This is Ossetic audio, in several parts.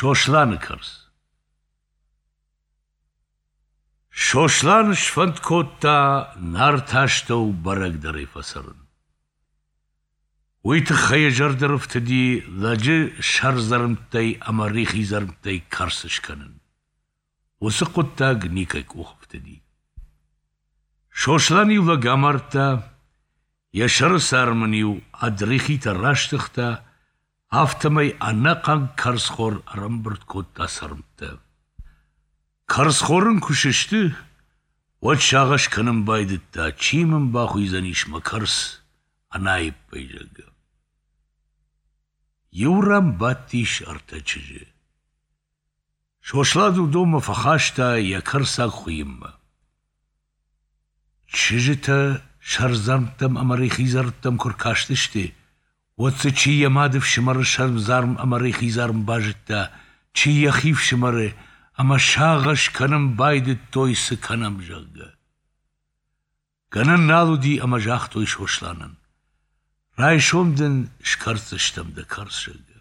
Сосланы кӕрц Сослан сфӕнд кодта Нарты астӕу бӕрӕгдӕрӕй фӕцӕрын. Уый тыххӕй йӕ зӕрды рыфтыди лӕджы сӕрдзӕрмттӕй ӕмӕ рихидзӕрмттӕй кӕрц скӕнын. Уыцы хъуыддаг никӕй къухы фтыди. Сослан иу лӕг амардта, йӕ сӕры царм ын-иу ӕд рихитӕ растыгъта, афтӕмӕй ӕнӕхъӕн кӕрцхор ӕрӕмбырд кодта цӕрмттӕ. Кӕрцхор ын куы сысты, уӕд сагъӕс кӕнын байдыдта, чи мын бахуыйдзӕнис мӕ кӕрц ӕнаиппӕй, зӕгъгӕ. Иу ран бадтис ӕртӕ чызджы. Сослан уыдонмӕ фӕхаста йӕ кӕрцаг хуыйынмӕ. Чызджытӕ сӕрдзӕрмттӕм ӕмӕ рихидзӕрмттӕм куы ркастысты, уӕд дзы чи йӕ мады фсымӕры сӕрдзарм ӕмӕ рихидзарм базыдта, чи йӕхи фсымӕры, ӕмӕ сагъӕс кӕнын байдыдтой, цы кӕнӕм, зӕгъгӕ. Гӕнӕн нал уыди ӕмӕ загътой Сосланӕн: «Райсом дын скӕрддзыстӕм дӕ кӕрц, зӕгъгӕ».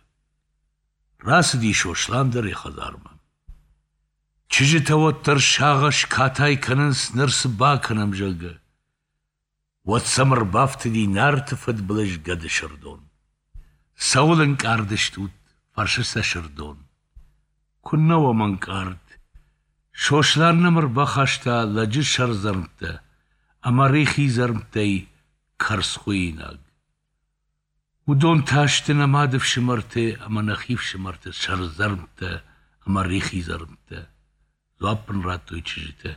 Рацыди Сослан дӕр йӕ хӕдзармӕ. Чызджытӕ уӕддӕр сагъӕс катай кӕнынц, ныр цы бакӕнӕм, зӕгъгӕ. Уӕд сӕм ӕрбафтыди Нарты фыдбылыз гӕды Сырдон. «Цӕуыл ӕнкъард стут?» — фӕрсы сӕ Сырдон. «Куыннӕ уӕм ӕнкъард? Сослан нӕм ӕрбахаста лӕджы сӕрдзӕрмттӕ ӕмӕ рихидзӕрмттӕй кӕрцхуыинаг. Уыдон та сты нӕ мады фсымӕрты ӕмӕ нӕхи фсымӕрты сӕрдзӕрмттӕ ӕмӕ рихидзӕрмттӕ, дзуапп ын радтой чызджытӕ.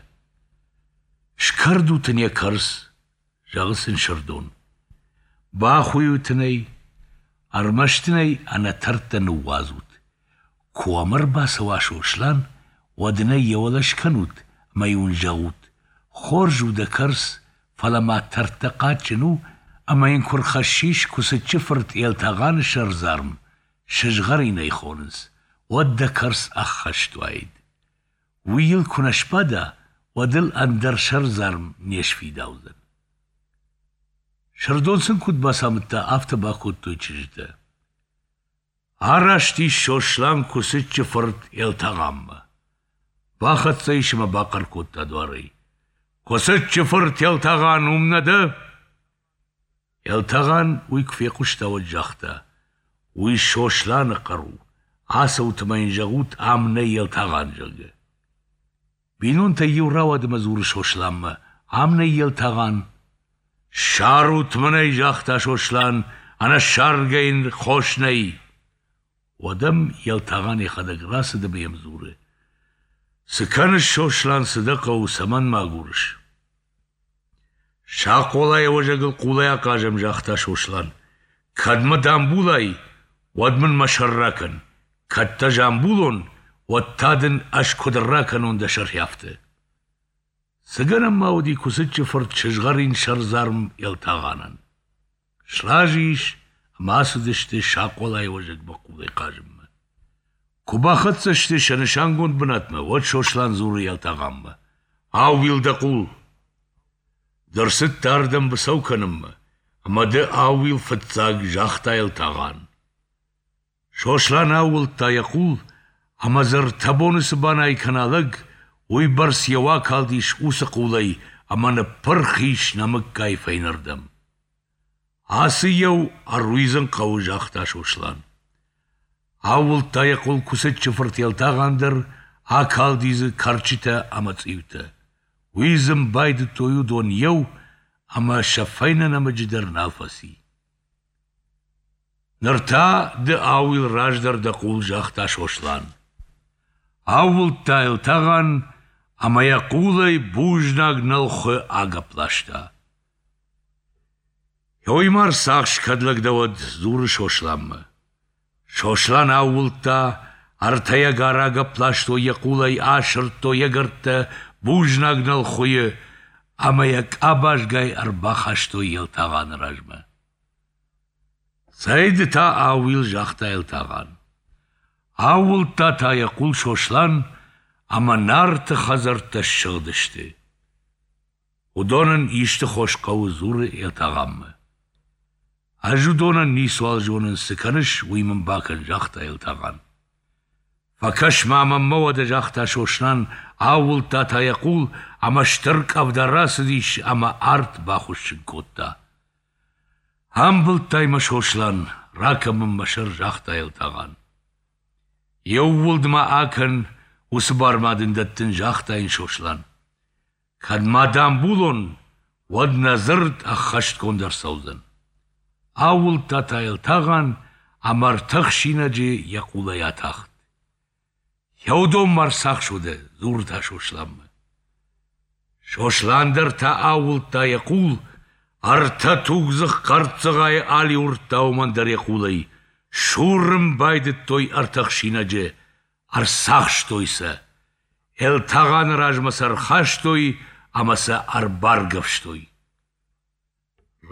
Скӕрдут ын йӕ кӕрц, зӕгъы сын Сырдон. Бахуыйут ын ӕй, ӕрмӕст ын ӕй ӕнӕтӕрттӕ ныууадзут. Куы уӕм ӕрбацӕуа Сослан, уӕд ын ӕй йӕ уӕлӕ скӕнут ӕмӕ-иу ын зӕгъут: хорз у дӕ кӕрц, фӕлӕ ма тӕрттӕ хъаджджын у, ӕмӕ йын куы рхӕссис Куыцыччы фырт Елтагъаны сӕрдзарм, сызгъӕрин ӕй хонынц, уӕд дӕ кӕрц ӕххӕст уаид. Уый йыл куы нӕ сбада, уӕд ыл ӕндӕр сӕрдзарм не сфидаудзӕн. Сырдон сын куыд бацамыдта, афтӕ бакодтой чызджытӕ. Араст ис Сослан Куыцыччы фырт Елтагъанмӕ. Бахӕццӕ ис ӕмӕ бахъӕр кодта дуарӕй: «Куыцыччы фырт Елтагъан, уым нӕ дӕ?» Елтагъан уый куы фехъуыста, уӕд загъта: «Уый Сосланы хъӕр у, ацӕут ӕмӕ йын зӕгъут, ам нӕй Елтагъан, зӕгъгӕ». Бинонтӕй иу рауад ӕмӕ дзуры Сосланмӕ: «Ам нӕй Елтагъан». «Ссарут мын ӕй, загъта Сослан, ӕнӕ ссаргӕ йын хос нӕй». Уӕд ӕм Елтагъан йӕхӕдӕг рацыд ӕмӕ йӕм дзуры: «Цы кӕныс, Сослан, цы дӕ хъӕуы, цӕмӕн мӕ агурыс?» «Сахъолайы уӕзӕгыл хъулӕй ахъазӕм, загъта Сослан. «Кӕд мӕ дӕ амбулай, уӕд мын мӕ сӕр ракӕн, кӕд дӕ ӕз амбулон, уӕд та дын ӕз куыд ракӕнон дӕ сӕр афтӕ». Цы гӕнӕн ма уыди Куыцыччы фырт сызгъӕрин сӕрдзарм Елтагъанӕн? Сразы ис ӕмӕ ацыдысты Сахъолайы уӕзӕгмӕ хъулӕй хъазынмӕ. Куы бахӕццӕ сты сӕ нысангонд бынатмӕ, уӕд Сослан дзуры Елтагъанмӕ: «Аууил дӕ хъул! Ды ӕрцыдтӕ ардӕм быцӕу кӕнынмӕ, ӕмӕ ды аууил фыццаг, загъта Елтагъан. Сослан аууылдта йӕ хъул, ӕмӕ дзы ӕртӕ боны цы банай кӕна лӕг, уыйбӕрц йӕ акалдис уыцы хъулӕй ӕмӕ ныппырх ис нӕмыггай фӕйнӕрдӕм. Ацы еу ӕруидзын хъӕуы, загъта Сослан. Аууылдта йӕ хъул Куыцыччы фырт Елтагъан дӕр, акалди дзы кӕрчытӕ ӕмӕ цъиутӕ. Уидзын байдыдтой уыдон еу, ӕмӕ сӕ фӕйнӕ нӕмыджы дӕр нал фӕци. Ныр та ды аууил раздӕр дӕ хъул, загъта Сослан. Аууылдта Елтагъан ӕмӕ йӕ хъулӕй бузнаг нӕлхуы агӕпп ласта. Уый ма рцахс, кӕд лӕг дӕ уӕд, дзуры Сосланмӕ. Сослан аууылдта, ӕртӕйӕ рагӕпп ластой йӕ хъулӕй, асырдтой йӕ гӕрттӕ бузнаг нӕлхуыйы ӕмӕ йӕ къабазгай ӕрбахастой Елтагъаны размӕ. Цӕй ды та аууил, загъта Елтагъан. Аууылдта та йӕ хъул Сослан, ӕмӕ Нарты хӕдзӕрттӕ ссыгъдысты. Уыдонӕн исты хос хъӕуы, дзуры Елтагъанмӕ. Ӕз уыдонӕн ницуал зонын, цы кӕныс, уый мын бакӕн, загъта Елтагъан. Фӕкӕс-ма мӕнмӕ уӕдӕ, загъта Сослан, аууылдта та йӕ хъул, ӕмӕ стыр къӕвда рацыдис ӕмӕ арт бахуыссын кодта. Амбылдтай мӕ, Сослан, ракӕн мын мӕ сӕр, загъта Елтагъан. Еууылд ма акӕн, уыцы бар ма дын дӕттын, загъта йын Сослан. Кӕд ма дӕ амбулон, уӕд нӕ дзырд ӕххӕстгонд ӕрцӕудзӕн. Аууылдта та Елтагъан ӕмӕ ӕртӕ хсинӕджы йӕ хъулӕй атахт. Еудон ма рцахсодӕ, дзуры та Сосланмӕ. Сослан дӕр та аууылдта йӕ хъул, ӕртӕ тугдзых хъӕрццыгъайы алиуырдта уымӕн дӕр йӕ хъулӕй, сурын байдыдтой ӕртӕ хсинӕджы, ӕрцахстой сӕ. Елтагъаны размӕ сӕ ӕрхастой ӕмӕ сӕ ӕрбаргӕвстой.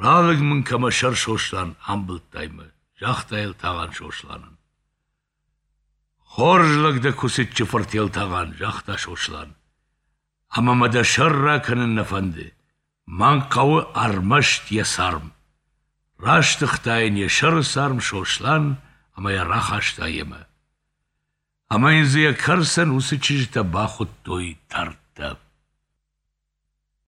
Ралыг мын кӕ мӕ сӕр, Сослан, амбылдтай мӕ, загъта Елтагъан Сосланӕн. Хорз лӕг дӕ Куыцыччы фырт Елтагъан, загъта Сослан. Ӕмӕ мӕ дӕ сӕр ракӕнын нӕ фӕнды. Мӕн хъӕуы ӕрмӕст йӕ царм. Растыгъта йын йӕ сӕры царм Сослан ӕмӕ йӕ рахаста йемӕ. Ӕмӕ йын дзы йӕ кӕрцӕн уыцы чызджытӕ бахуыдтой тӕрттӕ.